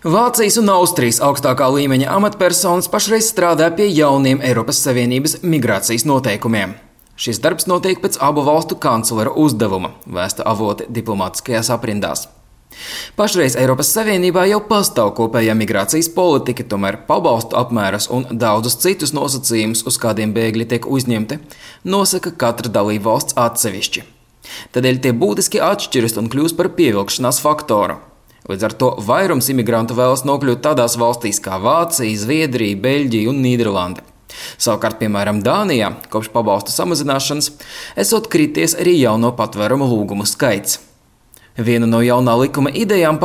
Vācijas un Austrijas augstākā līmeņa amatpersonas pašreiz strādā pie jauniem Eiropas Savienības migrācijas noteikumiem. Šis darbs notiek pēc abu valstu kanclera uzdevuma, vēsta avoti diplomātiskajās aprindās. Pašreiz Eiropas Savienībā jau pastāv kopējā migrācijas politika, tomēr pabalstu apmērus un daudzus citus nosacījumus, uz kādiem bēgļi tiek uzņemti, nosaka katra dalībvalsts atsevišķi. Tādēļ tie būtiski atšķiras un kļūst par pievilkšanās faktoru. Līdz ar to vairums imigrantu vēlas nokļūt tādās valstīs kā Vācija, Zviedrija, Beļģija un Nīderlande. Savukārt, piemēram, Dānijā, kopš pabalstu samazināšanas, esot krities arī jauno patvērumu lūgumu skaits. Viena no jaunā likuma idejām